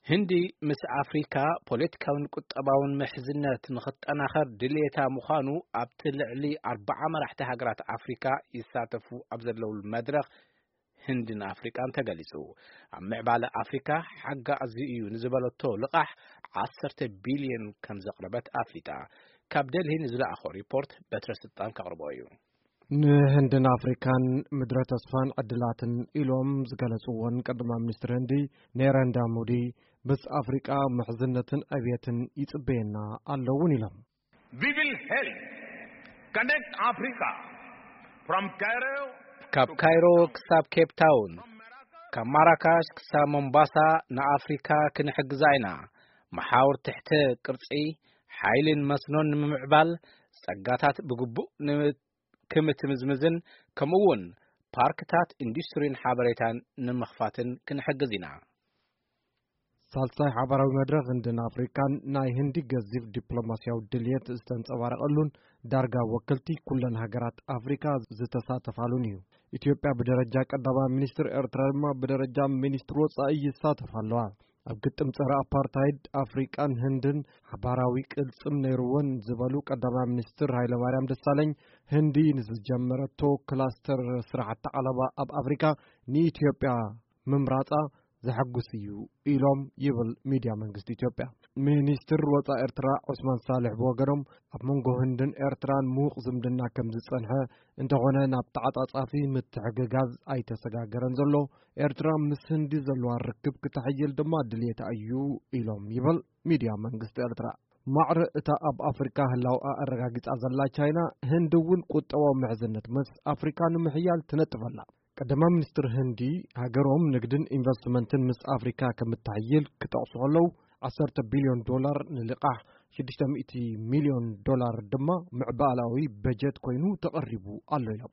ህንዲ ምስ ኣፍሪካ ፖለቲካውን ቁጠባውን ምሕዝነት ንኽጠናኸር ድልየታ ምዃኑ ኣብቲ ልዕሊ ኣርባዓ መራሕቲ ሃገራት ኣፍሪካ ይሳተፉ ኣብ ዘለውሉ መድረኽ ህንድን ኣፍሪቃን ተገሊጹ። ኣብ ምዕባለ ኣፍሪካ ሓጋዚ እዩ ንዝበለቶ ልቓሕ ዓሰርተ ቢልዮን ከም ዘቕረበት ኣፍሊጣ። ካብ ደልሂ ንዝለኣኾ ሪፖርት በትረ ስልጣን ከቕርቦ እዩ። ንህንድን ኣፍሪካን ምድረ ተስፋን ዕድላትን ኢሎም ዝገለጽዎን ቀዳማይ ሚኒስትር ህንዲ ኔረንዳ ሞዲ፣ ምስ ኣፍሪቃ ምሕዝነትን ዕብየትን ይጽበየና ኣለውን ኢሎም። We will help connect Africa from Cairo ካብ ካይሮ ክሳብ ኬፕ ታውን፣ ካብ ማራካሽ ክሳብ ሞምባሳ ንኣፍሪካ ክንሕግዛ ኢና። መሓውር ትሕተ ቅርጺ፣ ሓይልን መስኖን ንምምዕባል፣ ጸጋታት ብግቡእ ን-፣ ክምትምዝምዝን፣ ከምኡ እውን ፓርክታት ኢንዱስትሪን ሓበሬታን ንምኽፋትን ክንሕግዝ ኢና። ሳልሳይ ሓባራዊ መድረኽ ህንድን ኣፍሪካን ናይ ህንዲ ገዚፍ ዲፕሎማስያዊ ድልየት ዝተንጸባረቐሉን ዳርጋ ወከልቲ ኩለን ሃገራት ኣፍሪካ ዝተሳተፋሉን እዩ። ኢትዮጵያ ብደረጃ ቀዳማይ ሚኒስትር፣ ኤርትራ ድማ ብደረጃ ሚኒስትር ወጻኢ ይሳተፋ ኣለዋ። ኣብ ግጥም ጸረ ኣፓርታይድ ኣፍሪቃን ህንድን ሓባራዊ ቅልጽም ነይርወን ዝበሉ ቀዳማይ ሚኒስትር ሃይለማርያም ደሳለኝ፣ ህንዲ ንዝጀመረቶ ክላስተር ስራሕቲ ዓለባ ኣብ ኣፍሪካ ንኢትዮጵያ ምምራጻ ዘሐጉስ እዩ ኢሎም ይብል ሚድያ መንግስቲ ኢትዮጵያ። ሚኒስትር ወጻኢ ኤርትራ ዑስማን ሳልሕ ብወገኖም፣ ኣብ መንጎ ህንድን ኤርትራን ምዉቕ ዝምድና ከም ዝጸንሐ፣ እንተኾነ ናብ ተዓጻጻፊ ምትሕግጋዝ ኣይተሰጋገረን ዘሎ፣ ኤርትራ ምስ ህንዲ ዘለዋ ርክብ ክተሕይል ድማ ድልየታ እዩ ኢሎም ይብል ሚድያ መንግስቲ ኤርትራ። ማዕረ እታ ኣብ ኣፍሪካ ህላውኣ ኣረጋጊጻ ዘላ ቻይና፣ ህንዲ እውን ቁጠባዊ ምሕዝነት ምስ ኣፍሪካ ንምሕያል ትነጥፍ ኣላ። ቀዳማይ ሚኒስትር ህንዲ፣ ሃገሮም ንግድን ኢንቨስትመንትን ምስ ኣፍሪካ ከምትሕይል ክጠቕሱ ከለዉ፣ ዓሰርተ ቢልዮን ዶላር ንልቓሕ፣ ሽዱሽተ ሚእቲ ሚልዮን ዶላር ድማ ምዕባላዊ በጀት ኮይኑ ተቐሪቡ ኣሎ ኢሎም።